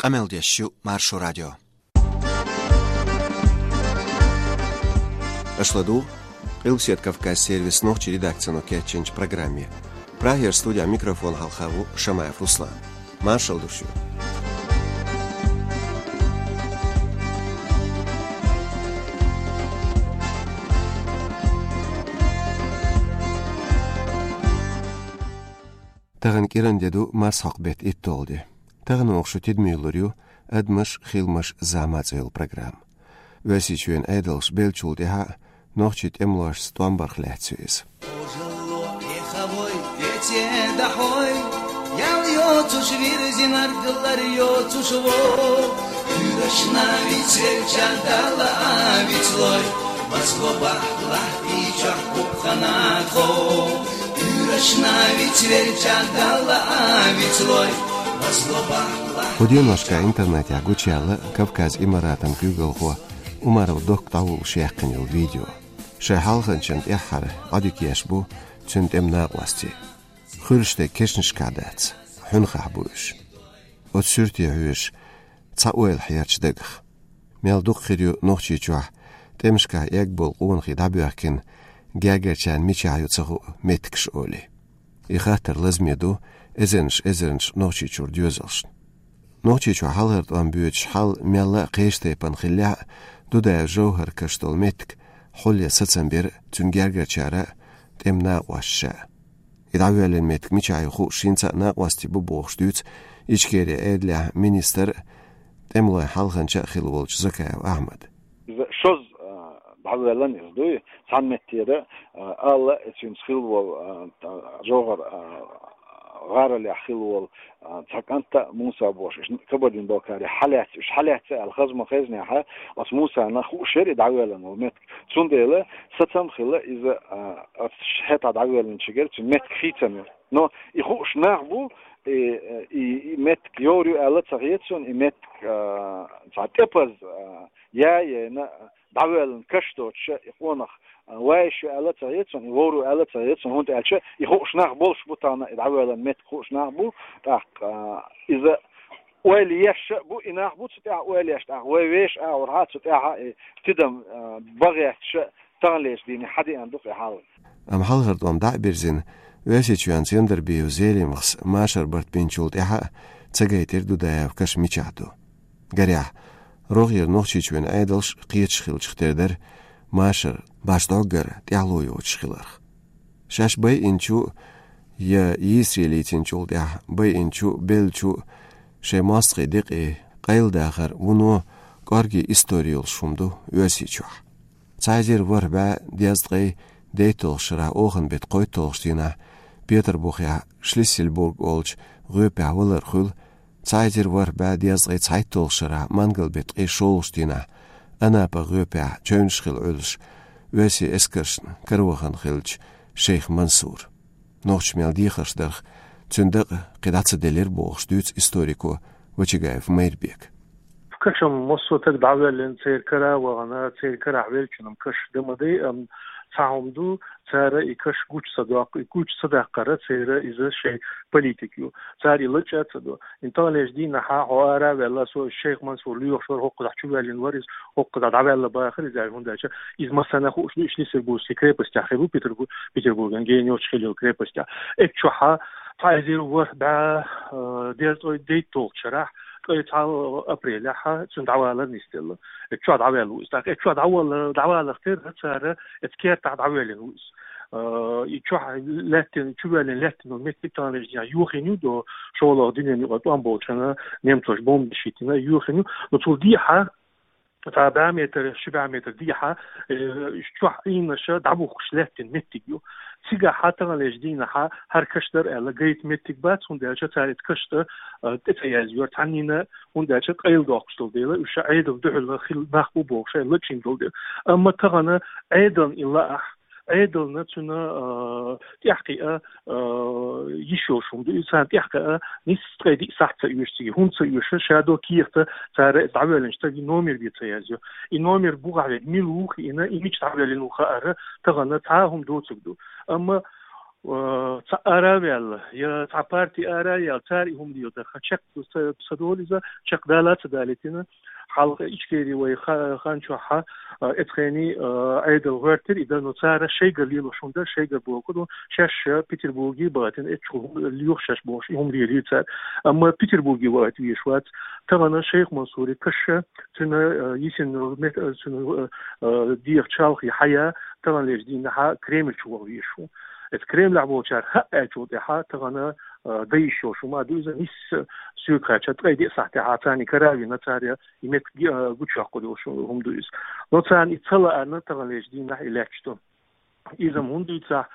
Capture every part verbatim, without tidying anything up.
Къамел деш ю Маршо радио. Аша ладугӀу Къилбаседа Кавказ сервисан нохчийн редакцино кечйинчу программе. Прагера студехь микрофон хьалха ву Шамаев Руслан. Маршалла ду шуьга. Тахана кӀиранде ду марсхьокху беттан итталгӀа де. Тахана оха шун тидаме лур ю «Адамаш, хиламаш, зама» цӀе йолу программа. Оьрсийчоьнан Ӏедалша беллачул тӀаьхьа нохчийн тӀемалошца тӀом барх лаьцна ю иза. ХӀу деношка интернетехь гучуяьлла Кавказ Имаратан куьйгалхо Умаров Докка дӀавуллуш яьккхина йолу видео. Шайн хьалханчана тӀаьххьара Ӏодика еш бу цуьнан тӀеман накъостий. Хуьлуш дерг кешнашкахь дац, хьуьнхахь бу уьш. Оцу суьрте хьоьжуш, цхьа ойла хьерча дагах. Мел дукха хир ю Нохчийчохь тӀемашкахь эгна болу къонахий дӀабоьхкина, гергарчарна мичахь ю ца хуу меттигаш олий. И хаттар лазаме ду эзарнаш-эзарнаш Нохчийчуьра доьзалшна. Нохчийчохь хьалхара тӀом боьдуш хьал мелла а кхечу тайпана хиллехь а, Дудаев ЖовхӀаран каш долу меттиг хьулъян сацам бира цуьнан гергарчара а, тӀеман накъосташа а. И дӀавоьллина меттиг мичахь ю хууш хӀинца а накъостий бу бохуш дуьйцу Ичкерин Ӏедалехь министр а, тӀемалойн хьалханча а хилла волчу Закаев Ахьмада. Иза шозза, а, дӀавоьллина иза дуй. Цхьана меттера, а, ала, и цуьнца хилла волу, а, та-, ЖовхӀар, а, гӀаролехь хилла волу, а, цхьа кӀант а, Муса бохуш, иштта Кабардин-Балкарехь хьалаьцна, уьш хьалаьцна аьлла хаза ма-хезнехь, оцу Мусана хууш яра и дӀавоьллина волу меттиг. Цундела сацам а хилла иза, а, оцу хӀетахь дӀавоьллинчигара цуьнан меттиг хийцам йо. Но и хууш нах бу, и, и, и меттиг йовр ю аьлла а ца хета суна, и меттиг, а, цхьа тӀепаза, а, я, яйна, дӀавоьллина каш доцуша, и къонах, а, вайша ю аьлла а ца хета суна, и вовр ву аьлла а ца хета суна, хӀунда аьлча и хууш нах болуш бу тахана, и дӀавоьллина меттиг хууш нах бу, тӀаккха, а, иза ойла еш а бу, и нах бу цу тӀехь ойла еш, тӀаккха вай вешан агӀор хьа цу тӀехь и тидам, а, бан гӀерташ а таханлерчу дийне хьадеана ду-кх и хьал. Амма хьалхара тӀом дӀа а бирзина, Оьрсийчоьнца Яндарбиев Зелимхас машар барт бинчул тӀаьхьа а ца гайтира Дудаевн каш мичахь ду. Гарехь, рогӀера Нохчийчоьнан Ӏедалш кхеташ хиллачух тера дара машар башха дӀоггара тӀаьхьало йоцуш хиларх. Шаьш байинчу а, я йийсаре лийцинчул тӀаьхьа байинчу а, беллачу а шайн мостагӀийн декъий къайладахар вуно кӀорггера истори йолуш хӀума ду Оьрсийчохь. Цхьа эзар ворхӀ бӀе дезткъе дейтталгӀачу шарахь оханан беттан кхойтталгӀачу дийнахь Петарбухехь Шлиссельбург олучу гӀоьпехь валар хуьлу, цхьа эзар ворхӀ бӀе дезткъе цхьайтталгӀачу шарахь мангал беттан ткъе шолгӀачу дийнахь Анапа гӀоьпехь чевнаш хила Ӏуьллуш, оьрсийн эскаршна каравахана хиллачу шейх Мансур. Нохчаша мел дехарш дарх, цуьнан дакъа кхин дӀа ца делира бохуш дуьйцу историко Вачагаев Майрбека. Кашам массо а таг дӀавоьллина, церан кара а вахана, церан карахь веллачунна каш дан ма дай, амма цхьа хӀума ду, цара и каш гучу ца доккху, и гучу ца даккхара церан иза шайн политика ю. Цара и лачкъа а ца до. ХӀинца таханлерчу дийнахь хьо ара а ваьлла, со шейх Мансур лоьхуш вара, хӀокхузахь чувоьллина вара иза, хӀокхузахь дӀаваьлла бахара иза, аьлла, хӀунда аьлча иза массарна а хууш ду, и Шлиссельбургский крепостехь хилла ву, Петербу-, Петербурган генайолчу хилла йолу крепостехь. Эццахь цхьа эзар ворхӀ бӀе, э, дезткъе дейтталгӀачу шарахь, ткъе цхьа апрелехь цуьнан дӀавалар нисделла. Эццахь дӀаваьлла ву иза. ТӀаккха эццахь дӀавалла-, дӀаваларх терра цара эцу кертахь дӀавоьллина ву иза. Э, и чохь лаьттина, чувоьллина лаьттина меттиг таханлерчу дийнахь йохийна ю, до шолгӀа дуьненан юкъара тӀом болчарна немцоша бомбанаш хӀиттина, йохийна ю. Но цул дехьа, цхьа бӀе метр, ши бӀе метр дехьа, э, чохь Ӏийнаша дӀабухкуш лаьттина меттиг ю. Цигахь таханлерчу дийнахь хӀара каш дара аьлла гайта меттиг бац, хӀунда аьлча цара и каш тӀе, э, тӀе ца язйора цхьаннена, хӀунда аьлча къайладоккхуш долу дела, уьш Ӏедална дуьхьал хилла нах бу бохуш, шайна лачкъийна долу дела. Амма тахана Ӏедална и лаахь, Ӏедална цуьнан, а, тӀаьхьакхиа, а, йиш йолуш хӀума ду. И царна тӀаьхьакхиа нисса ткъе диъ сахьт ца оьшу цига, хӀунда ца оьшу, шадолу кехата цара дӀавоьллинчу стага номер бен ца язйо. И номер бухахь верг мила ву хиъна, и мича дӀавоьллина ву хаар, тахана цхьа а хӀума доцург ду. Амма э, цхьа ара а ваьлла, е цхьа парти ара а яьлла, цара и хӀума дийла дара. Ха чекх ца, ца долу иза, чекхдала а ца далийтина. Хьалха Ичкери вай ха-, хан чохь, э, эцхени, э, Ӏедал гӀоьртира и дан, но цара шайгара лелош хӀума дара, шайгара боху ду, шаьш, э, Петербурге а бахийтина, эцчу лоьху шаьш бохуш, и хӀума лелийра цара. Амма Петербурге вахийта везаш вац. Тахана Шайх Мансури каша, цуьнан, э, йисина мет-, э, цуьнан, э, э, дегӀан чалхе хьая, таханлерчу дийнахьа Кремль чу ваха везаш ву. Эцу Кремлехь болчара хаа аьллачул тӀаьхьа тахана, э, дан йиш йолуш хӀума ду иза, нийсса соьга хаьттича, ткъе диъ сахьтехь царна кара а вина, цара и меттиг, э, гучуяккхур йолуш хӀума ду иза. Но царна и ца лаьарна таханлерчу дийнахь и лаьтташ ду. Иза-м хӀунда дуьйцу ахь,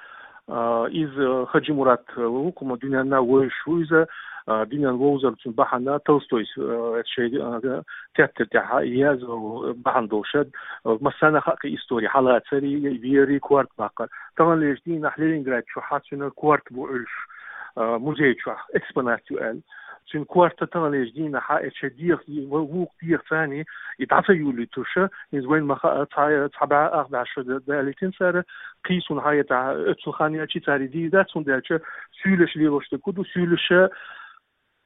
а, иза Хаджи Мурат ву, кху-м дуьненна вевзаш ву иза, а, дуьненна вовзар цуьнан бахьана Толстойс, а, шайн, а, тептар тӀехь язъян бахьана долуш, а, массарна а хаьа кхин истори, хьалацари, вери, корта баккхар. Таханлерчу дийнахь Ленинград чохь цуьнан корта бу Ӏуьллуш, а, музей чохь, экспонат ю аьлла. Цуьнан корта таханлерчу дийнахьа, эцу шайн дегӀан, вукху дегӀан царна и дӀа ца юьллуьйтуш, иза вайна ма хаьа, цхьа, цхьа бӀе ах бӀе шо да-, далийтина цара, кхин суна хьаетахь, оццул хан яьлча цара и дийр дац, хӀунда аьлча суьйлаш лелош дерг хӀун ду, суьйлаша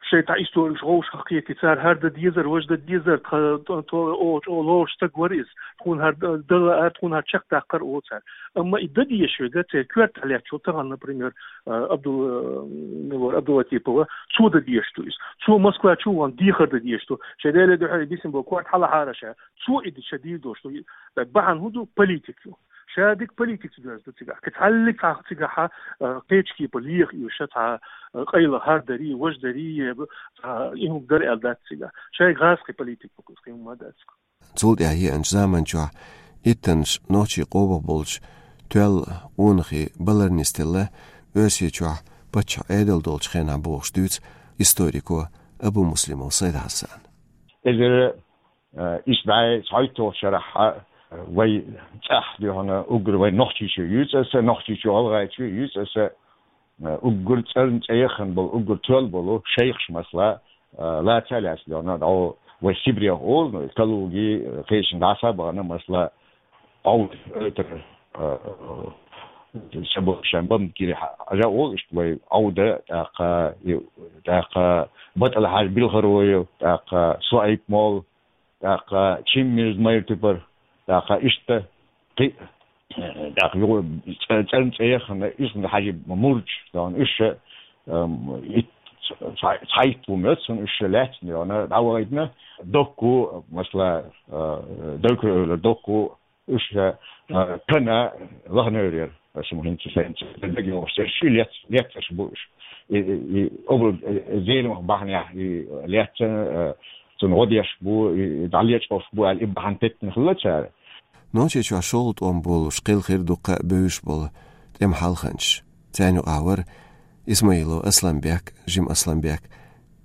шайн тӀе истореш вовшах кхетий, цара хӀара дан дезара, важа дан дезара, тха, то, то, о, чӀогӀа лоруш стаг вара иза, тхуна хӀара дан лаьара, тхуна хӀара чекхдаккхара олу цара. Амма и дан дезаш верг, церан коьртахь лаьттачул тахана, например, а, Абдул-, а, мила вара, Абдулатипова, цо дан дезаш ду иза. Цо Москва чу вахана дехар дан дезаш ду. Шайн Делан дуьхьа бисина болу корта хьалахьара ша. Цо и дан ша дийр долуш ду. Бахьана хӀун ду? Политика ю. Ша дика политикаца доьзна ду цигахь. Кхин цхьаллиг цхьа цигахьа, а, кхечу кепара леха и ша цхьа, а, къайла хӀара дарий, важа дарий, е цхьа и хӀума дара аьлла дац цигахь. Шайга гӀазкхи политика бу, кхин хӀума дац. Цул тӀаьхьа еанчу заман чохь иттаннаш нохчий къомах болчу тоьлла къонахий балар нисделла Оьрсийчохь паччахь Ӏедал долчу хенахь бохуш дуьйцу историко Абумуслимов Сайд-Хьасана. Эзар, э, исс бӀе цхьайтталгӀачу шарахь, э, вай цӀахь дуьхьал уггар вай Нохчийчоь юьйцу аса, Нохчийчоь ГӀалгӀайчоь юьйцу аса, э, уггар цӀарна цӀе яхана болу, уггар тоьлла болу шайхаш масала, э, лаца а лаьцна дуьхьал, дӀо вай Сибрех олу, ну, Калуги, э, кхечанхьа дӀаса а бахана, масала, Ӏовда, э, тара, э, э, ша бу-, шайн бамт гири хьа-, хьажа олу иштта вай Ӏовда, тӀаккха, и, тӀаккха БатӀал-Хьаьжа Билхароев, тӀаккха Суайп-молла, тӀаккха Чиммирза Майртупар, тӀаккха иштта кхин, э, тӀаккха юха цӀа-, цӀарна цӀе яхана Исмаил-Хьаьжин мурдаш, дон уьш, эм, ит-, цхьа-, цхьайтта ву моьтту суна уьш лаьцна, дона дӀавахийтина, Докку, масала, э, Докку, Докку, уьш, э, Кана, Лахневер, аса ма хӀинца сайна ца даьга йогӀуш, церан ши лец-, лецарш бу уьш. И, и, и, образ, э, зеламах бахьанехь, и лецна, э, цунна гӀо деш бу, и, и дӀалечкъош бу аьлла, и бахьана теттина хилла цара. Нохчийчохь шолгӀа тӀом болуш кхелхира дуккха а бевзаш болу тӀеман хьалханчаш. Царна юкъахь вара Исмаилов Асланбек, жима Асланбек,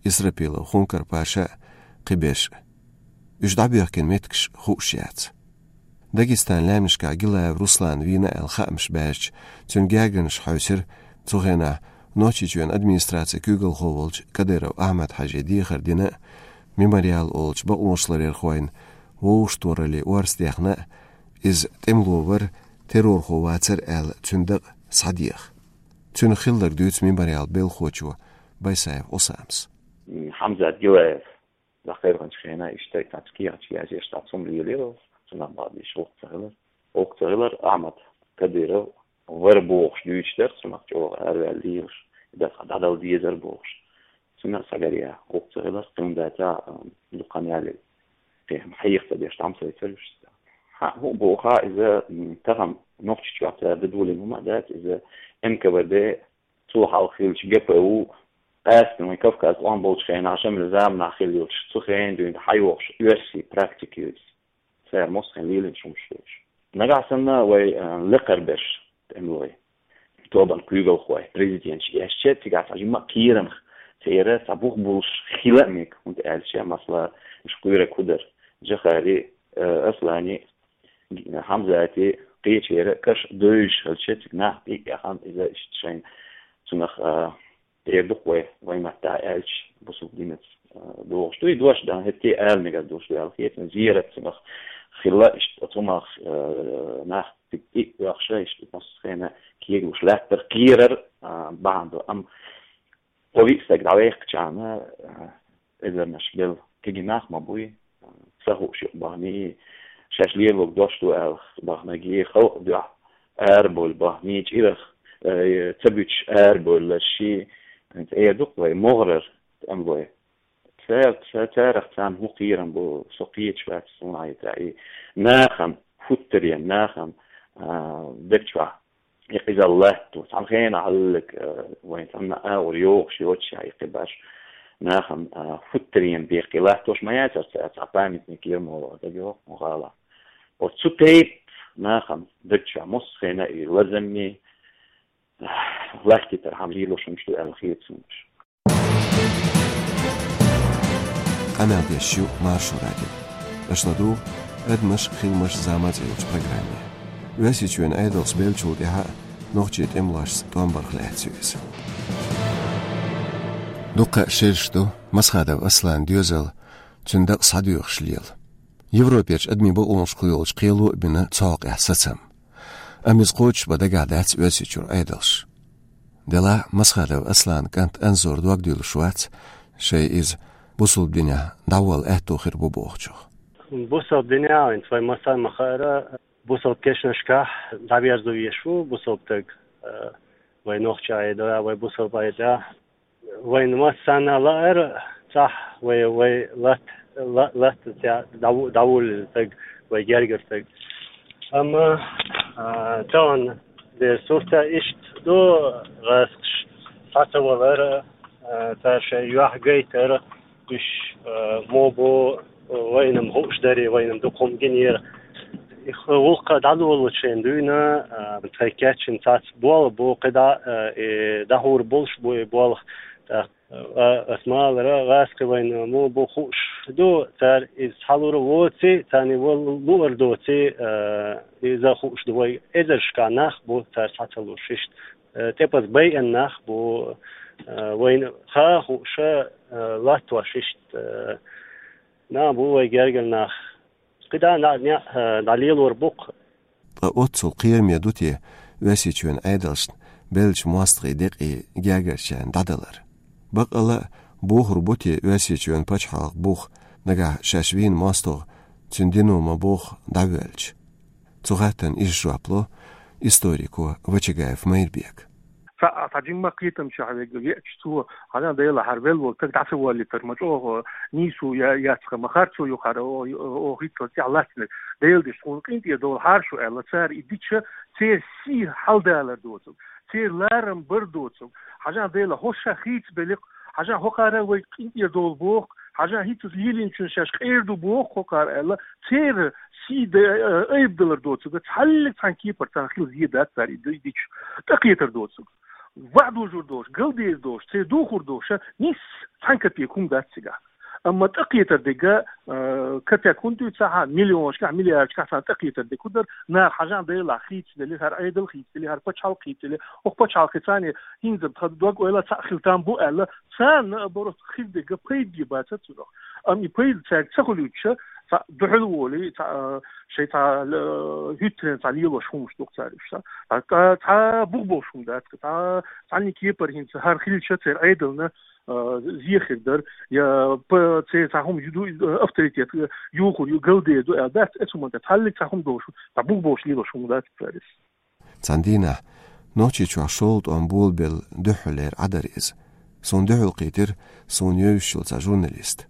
Исрапилов Хункар-Паша а, кхиберш а. Уьш дӀабоьхкина меттигаш хууш яц. Дагестан лаьмнашкахь Гилаев Руслан вийна аьлла хаамаш баьржича, цуьнан гергарнаш хьаьвсира, цу хенахь Нохчийчоьнан администрацин куьйгалхо волчу Кадыров Ахьмад-Хьаьжин дехар дина а, Мемориал олучу бакъонашларъярхойн вовшахтохараллин орца дехна а, иза тӀемало вара, террорхо вацара аьлла, цуьнан дакъа схьадеха. Цуьнан хилларг дуьйцу Мемориалан белхахочо Байсаев Ӏусамас. Хьамзат Гилаев, дӀакхайкхинчу хенахь, иштта цхьацца кехаташ язъеш, цхьацца хӀума лелийра, цунах бахьана деш гӀуллакх ца хилар. ГӀуллакх ца хилар, Ахьмад Кадыров вара бохуш дуьйцуш дара, цунах чӀогӀа араваьлла лелаш, и дас дӀадала дезара бохуш. Цунах схьагаръяьхна гӀуллакх ца хилар, кхин хӀума дац, а, дукха хан яле, кхин хьеха ца деш, тхьамсайцара уьш. Хьан хӀун боху, иза, м, тахана Нохчийчохь цара дан долийна хӀума а дац, иза Н К В Д, цул хьалха хиллачу Г П У, къаьстина вайн Кавказ тӀом болчу хенахь, Шамилан заманахь хилла йолчу, цу хенахь дуьйна хьайогӀуш оьрсийн практика ю иза. Цара массо а хенахь лелийначу хӀуманаш ду уьш. Нагахь санна вай, а, лекхарберш тӀемалой, тобанан куьйгалхой, президенташ эшча, цигахь цхьа жимма а кхерамах церан цхьа бух болуш хила а мега, хӀунда аьлча, масала, уьш кхоьрург хӀун дара, Джохари, а, Аслани, Хьамзати, кхечеран каш девзаш хилча, цига нах тӀе а яхана, иза иштта шайна цунах, а, тӀера ду-кх вай, вайн маттахь аьлча, бусалба динца, а, догӀуш ду. И дош дан хӀетте а ала мегар долуш ду аьлла хета, зерат цунах хилла, иштта оцу хӀумах, а, нах цига тӀе а оьхуш, иштта массо а хенахь кегалуш лаьттара кхерар, а, бахьан ду. Ам кхо-виъ стаг дӀавехкачарна, а, эзарнаш бел кегий нах ма буй, ца хууш юкъе бахний, шаьш лелорг дош ду аьлла бахнагий, халкъ дуьхьа арабовла бахний, чӀирах, э, ца буьтуш арабовларший, хӀинца эр ду-кх вай могӀарера, ам вай. Ца-, ца-, царах царна хӀун кхерам бу, со кхеташ вац суна хьайта. И нахана, хӀуттарен нахана, а, даг чохь и къизал латто. Цхьана хенахь хьаллаг, а, вайн цхьанна агӀор йогӀуш йоцуш и кхин баш нахана, а, хӀуттарен беккхий латтош ма яцара цара, цхьа памятник яра мо даг йоху мо гӀала. Оцу тайпа нахана даг чохь массо хенахь и лазамми, лахкитархьама лелош хӀумаш ду аьлла хета суна уьш. Къамел деш ю Маршо радио. Аша ладугӀу «Адамаш а, хиламаш а, зама а» цӀе йолчу программе. Оьрсийчоьнан Ӏедалша беллачул тӀаьхьа а нохчийн тӀемалошца тӀом барх лаьцна ю иза. Дуккха а шераш ду Масхадов Асланан доьзал, цуьнан дакъа схьадоьхуш лела. Европерчу адамийн бакъонашкахула йолчу кхело а бина цу хьокъехь сацам. Амма иза кхочушбан дагахь дац Оьрсийчуьра Ӏедалша. Делахь а Масхадов Асланан кӀант Анзора дог дуьйлуш вац, шайн иза бусалба динехь дӀаволла аьтто хир бу бохучух. Бусалба динехь, хӀинца вай массарна ма-хаъара, бусалба кешнашкахь дӀаверзо везаш ву бусалба стаг, э, вай нохчийн Ӏедалехь, вай бусалба Ӏедалехь. Вайна массарна а лаьара цхьа вай, вай лат-, ла-, латта цхьа дӀаву-, дӀавуллина стаг, вай гергара стаг. Амма, а, тахана дерг сурт а иштта ду, гӀазкхаш схьа ца валар, а, цара шайн юьхь гайтар, уьш, а, мо бу, вайна-м хууш дарий, вайна-м дукха хӀума гинера. Их гӀуллакх дӀадолалучу шайна дуьйна, а, тхайн кечйина цхьацца болх бу, кхидӀа, а, и дӀахьур болуш бу и болх. ТӀаккха, а, ас ма-аллара, гӀазкхи вайна мо бу хууш ду, цара иза схьалур воций, царна вал луур доций, а, иза хууш ду вай. Эзаршкахь нах бу цара схьа ца луш иштта. Э, тӀепаза байъина нах бу, э, вайна хаа хууш, э, латтош иштта, э, нах бу вай гергара нах. КхидӀа а, неӀ, э, дӀалелор бу-кх. Ткъа оццул кхераме ду те Оьрсийчоьнан Ӏедалшна беллачу мостагӀийн декъий гергарчарна дӀадалар? Баккъала а, бохур бу те Оьрсийчоьнан пачхьалкх бух, нагахь шаьш вийна мостагӀа цуьнан дино ма-бохху дӀавоьлча? Цу хаттарна иза жоп ло историко Вачагаев Майрбека. Цхьа, цхьа жимма кхетамчохь вега веача цо, хьажа Дела, хӀара велла волу стаг дӀа ца воллийтар ма чӀогӀа нийсо я-, яц-кха, ма харцо ю хӀара, о-, о-, оха хӀинццалц тӀехь лаьцнарг. Делан деш, тхуна къинтӀера довла хьаршо аьлла, цара и дича, церан сий хьаладалар доцург, церан ларам бар доцург. Хьажа Дела, хӀорш ша хийцабелли-кх, хьажа хӀокхара вай къинтӀера довла боху-кх, хьажа хӀинццалц лелийначунна шаьш къера ду боху-кх хӀокхара аьлла, церан сий д-, айбадалар доцург, цхьаллиг цхьана кепара царна хила зен дац цара и д-, дича. ТӀекхетар доцург, ваӀда дожур долуш, галдер долуш, церан духур долуш, нисса цхьана капек хӀума дац цигахь. Амма тӀекхетар дерг, а, капек хӀунда дуьйцу ахьа, миллионашкахь, миллиардашкахь царна тӀекхетар дерг хӀун дара, наха хьажа Дела хийцаделли, хӀара Ӏедал хийцаделли, хӀара пачхьалкх хийцаделли, хӀокху пачхьалкхе царна хӀинца тхан дог-ойла цхьаъ хила там бу аьлла, царна а барт хир дерг пайда бацара цунах. Амма и пайда цаьрга ца хуьлуьйтуш, цхьа дуьхьал волий, цхьа, а, шайн цхьа, а, хӀуьттаренна цхьа лелош хӀумаш ду-кх цара уьш, цхьа, цхьа, цхьа бух болуш хӀума дац-кха, цхьа, цхьанна кепара хӀинца хӀара хилча церан Ӏедална, а, зен хир дара, я п-, церан цхьа хӀума ю ду, а, авторитет, а, юхур ю, галдер ду аьлла дац, эцу хӀуманна тӀе цхьаллиг цхьа хӀума долуш, цхьа бух болуш лелош хӀума дац-кха цара иза. Цхьана дийнахь Нохчийчохь шолгӀа тӀом болабелла дуьххьарлера Ӏа дара иза. Суна дуьхьал кхийтира суна евзаш йолу цхьа журналист.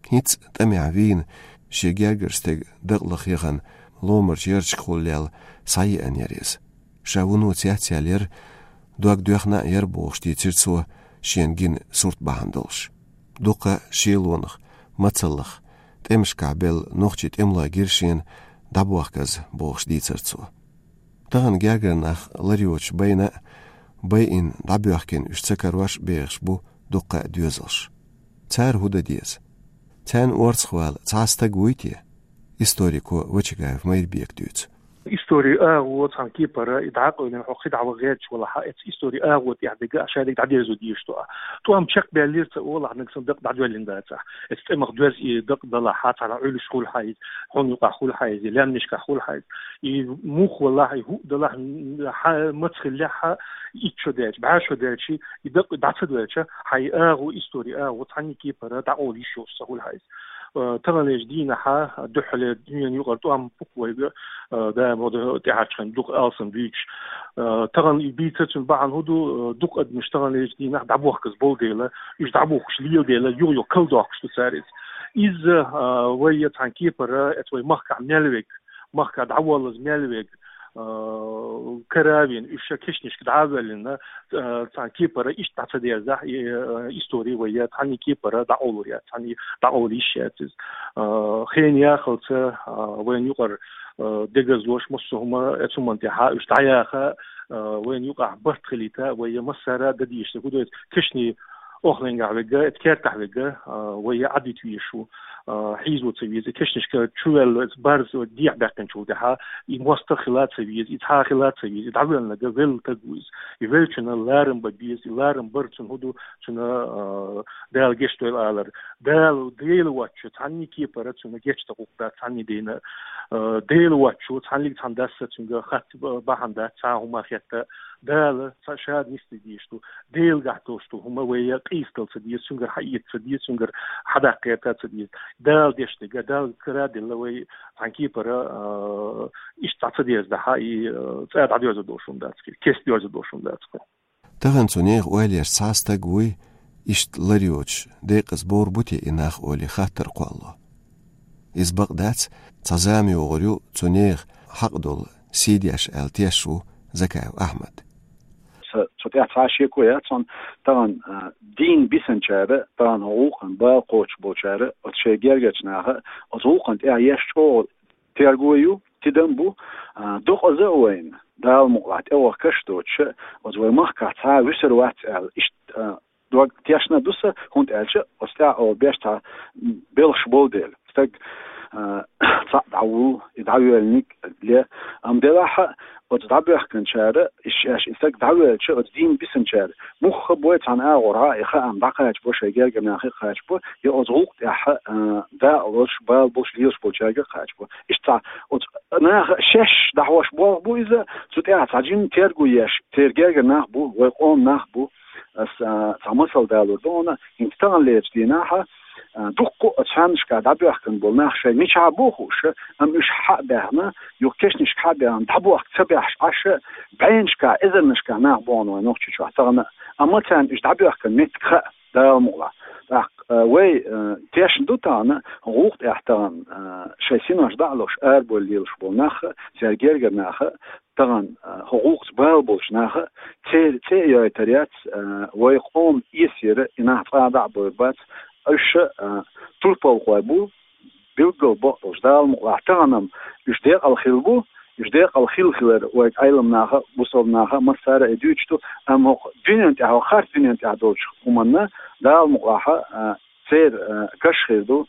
ХӀинцца тӀамехь вийна, шен гергара стеган дакъа лаха яхана ломарчу ярташкахула лелла схьаеана яра иза. Ша вуно цецъяьлла яра, дог доьхна а яра бохуш дийцира цо шена гина сурт бахьана долуш. Дуккха а шелонах, мацаллах, тӀемашкахь белла нохчийн тӀемалой гира шена дӀабохказа бохуш дийцира цо. Тахана гергара нах лар йоцуш байна а, байина дӀабоьхкина уьш ца карош а бехаш бу дуккха а доьзалш. Цара хӀун дан деза? Царна орцахвала цхьа а стаг вуй те? Историко Вачагаев Майрбека дуьйцу. Истори агӀо цхьан кепара и дӀакъовлина, хьо кхы дӀа ваха гӀерташ валахь, эцу истори агӀо тӀехь дерг а шадерг дӀадерзо дезаш ду ахь. ТӀом чекхбаьллера ца олахь, нагахь санна дакъа дӀадоьллина дац ахь. Эцу тӀемах доьзна и дакъа далахь, цхьана Ӏуьллуш хуьлу хьайза, хьуна юкъахь хуьлу хьайза, лаьмнашкахь хуьлу хьайза. И мух валахь, и хӀуъа далахь, хьан маца хилла лаьхьа, итт шо даьлча, бӀаь шо даьлча, и дакъа дӀа ца доьлча, хьан и агӀо, истори агӀо цхьанне кепара дӀакъовла йиш йолуш ца хуьлу хьайза. Э, таханлерчу дийнахьа дуьххьале дуьненан юкъара тӀом пу вайга, э, даим ода тӀаьхьарчу хенахь дукха алсам дуьйцуш. Э, тахана и бийцар цуьнан бахьана хӀун ду, э, дукха адамаш таханлерчу дийнахь дӀабохказа болу дела, уьш дӀабухкуш лела дела, юха-юха калдоккхуш ду цара иза. Иза, э, вай я цхьана кепара, эцу вай махкахь мел верг, махкахь дӀаволлаза мел верг, э, кара а вина, уьш ша кешнашка дӀа а воьллина, э, цхьана кепара иштта дӀа ца дерзахь, и, э, истори вай я цхьанне кепара дӀакъовлур яц, цхьанне дӀакъовла йиш яц иза. Э, хенан яхалца, э, вайна юкъара, э, дегазлош, массо а хӀума, эцу хӀуманна тӀехьа уьш дӀаяха, э, вайна юкъахь барт хилийта, вай я массара а дан дезаш дерг хӀун ду иза, кешнийн оханехь верг, эцу кертахь верг, э, вай я Ӏадита везаш ву, э, хьийзо ца веза, кешнашка чу ваьлла, барза дехьа баьккхинчул тӀаьхьа, и мостагӀ хила ца веза, и цхьа хила ца веза, и дӀавоьллинарг велла стаг ву иза. И веллачунна ларам бан беза, и ларам бар цунна хӀун ду, цунна, э, Дала гечдойла алар. Дала, Дела воцчу цхьанне кепара цунна гечдан гӀуллакх дац, цхьанне дийна, э, Дела воцчу цхьаннега цхьана дас цуьнга хатта бахьана дац, цхьа хӀума хетта. Дала ца шада нисде дезаш ду. Делан гахь долуш ду хӀума вай я къийсадала ца деза, цуьнгара хьаэца ца деза, цуьнгара хьадаккха гӀерта ца деза. Дала деш дерг, Дала кара а делла вай цхьана кепара, э, иштта дӀа ца дерзадахь, и, э, цӀа дӀадоьрзур долуш хӀума дац кхин, кеста доьрзур долуш хӀума дац кхин. Тахана цу нехан ойланаш цхьа стаг вуй, иштта лар йоцуш, декъаза бовр бу те и нах олий хаттар кхоллало. Иза бакъ дац, цхьа зама йогӀур ю цу нехан хьакъ долу сий деш аьлла тешаш ву Закаев Ахьмад. Са-, цу тӀехь цхьа а шеко яц хьуна, тахана, а, дийна бисинчара, тахана хӀокху гӀуллакхана бала кхочуш болчара, оцу шайн гергарчу наха, оцу гӀуллакхана тӀехь еш чӀогӀа терго ю, тидам бу, а, дукхаза а вайна, Дала мукъалахь тӀевахкаш а доцуша, оцу вай махкахь цхьа а вуьсур вац аьлла, иштта, а, дог тешна а ду сан, хӀунда аьлча оцу тӀехь оха беш цхьа белхаш болу дела. Стаг, а, цхьаъ дӀавуллу, и дӀавоьллинарг ле, амма делахь а оцу дӀабоьхкинчара, и шаьш и стаг дӀавоьлча, оцу дийна бисинчара, мухха а бой цхьана агӀорхьа а и хаам дӀакхачабо, шайн гергара нахе а кхачабо, я оцу гӀуллакх тӀехь, а, дакъа лозуш, бала болуш, лелаш болчаьрга а кхачабо. Иштта цхьа оцу наха шаьш дӀахьош болх бу иза, цу тӀехь цхьа жимма терго еш, церан гергара нах бу, вай къоман нах бу. Ас, а, цхьа масал далор ду хьуна, хӀинца таханлерчу дийнахьа, а, дуккха а оцу хьаннашкахь дӀабоьхкина болу нах шайн мичахь бу а хууш, амма уьш хьа а баьхна, юха кешнашка хьа а баьхна, дӀабохка ца баьхьаш Ӏаш, бӀеннашкахь, эзарнашкахь нах бу хьуна вайн Нохчийчохь тахана, амма царна уьш дӀабоьхкина меттиг хаьа, Дала мукъалахь. ТӀаккха, а, вай, а, тешна ду тахана, гӀуллакх тӀехь тахана, а, шайн синош дӀа а луш, арабовла лелаш болу нах а, церан гергара нах а, тахана, а, хӀокху гӀуллакхца бала болчу наха, церан цӀе а йойтур яц, а, вай къоман эсера и нах цкъа а дӀа а бовр бац, уьш, а, турпалхой бу, билггал бакъдолуш Дала мукъалахь, тахана-м уьш декъала хилла бу, уьш декъала хилла хилар вайга Ӏеламнаха а, бусалбанаха а, массара а и дуьйцуш ду, амма хӀокху дуьнен тӀехь, хӀокху харц дуьнен тӀехь долчу хӀуманна Дала мукъалахь, а, церан, а, каш хир ду,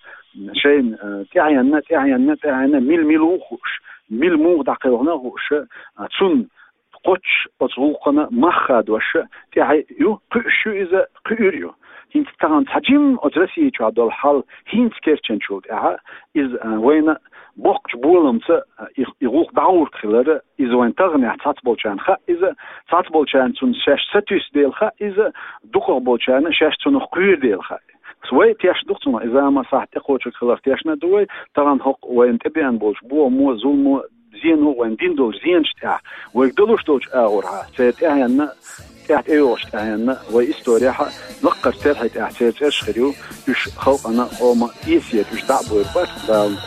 шайна, а, тӀаьхьенна, тӀаьхьенна, тӀаьхьенна, мила, мила ву хууш, мила муха дӀакхелхина а хууш, а, цунна кхоччуш оцу гӀуллакхана мах хадош, тӀаьхье ю, кхуьуш ю иза, кхуьур ю. ХӀинца тахана цхьа жимма оцу Россия чохь долу хьал хӀинца керчанчул тӀаьхьа, иза, а, вайна боккхачу боламца, а, и, и гӀуллакх дӀагӀург хилар, иза вайн таханехь цхьацца болчарна хаьа иза, цхьацца болчарна цунна шаьш сатуьйсу дела хаьа иза, дукхах болчарна шаьш цунах кхуьйр дела хаьа. Вай тешна ду-кх цунах, и зама сахьт тӀекхочург хиларх тешна а ду вай, тахана хӀокху вайна тӀебеана болчу бохамо, зулмо, зено, вайна дина долчу зенаш тӀехь, вайга далуш долчу агӀорхьа, церан тӀаьхьенна, тӀаьхьа тӀейогӀучу тӀаьхьенна, вай историяхьа, лаккхарчу терхье тӀехь церан цӀераш хир ю, уьш халкъана, къоман эсера уьш дӀа а бовр бац Дала.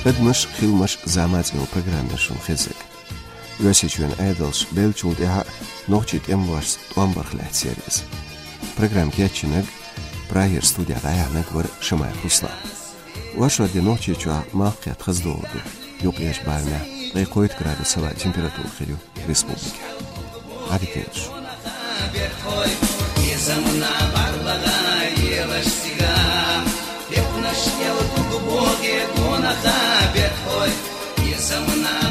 Адамаш, хиламаш, зама цӀе йолу программа шуна хезнарг. Оьрсийчоьнан Ӏедалша беллачул тӀаьхьа нохчийн тӀемалошца тӀом барх лаьцна яра иза. Программа кечйинарг, Прагера студехь дӀаяьхьнарг вара Шамаев Руслан. Оршот де Нохчийчохь малх кхетта хаза догӀа ду. Юккъерчу барамехь ткъе кхойтта градус хилла температура хир ю республикехь. Ӏадика йойла шун. Табет хой, и замана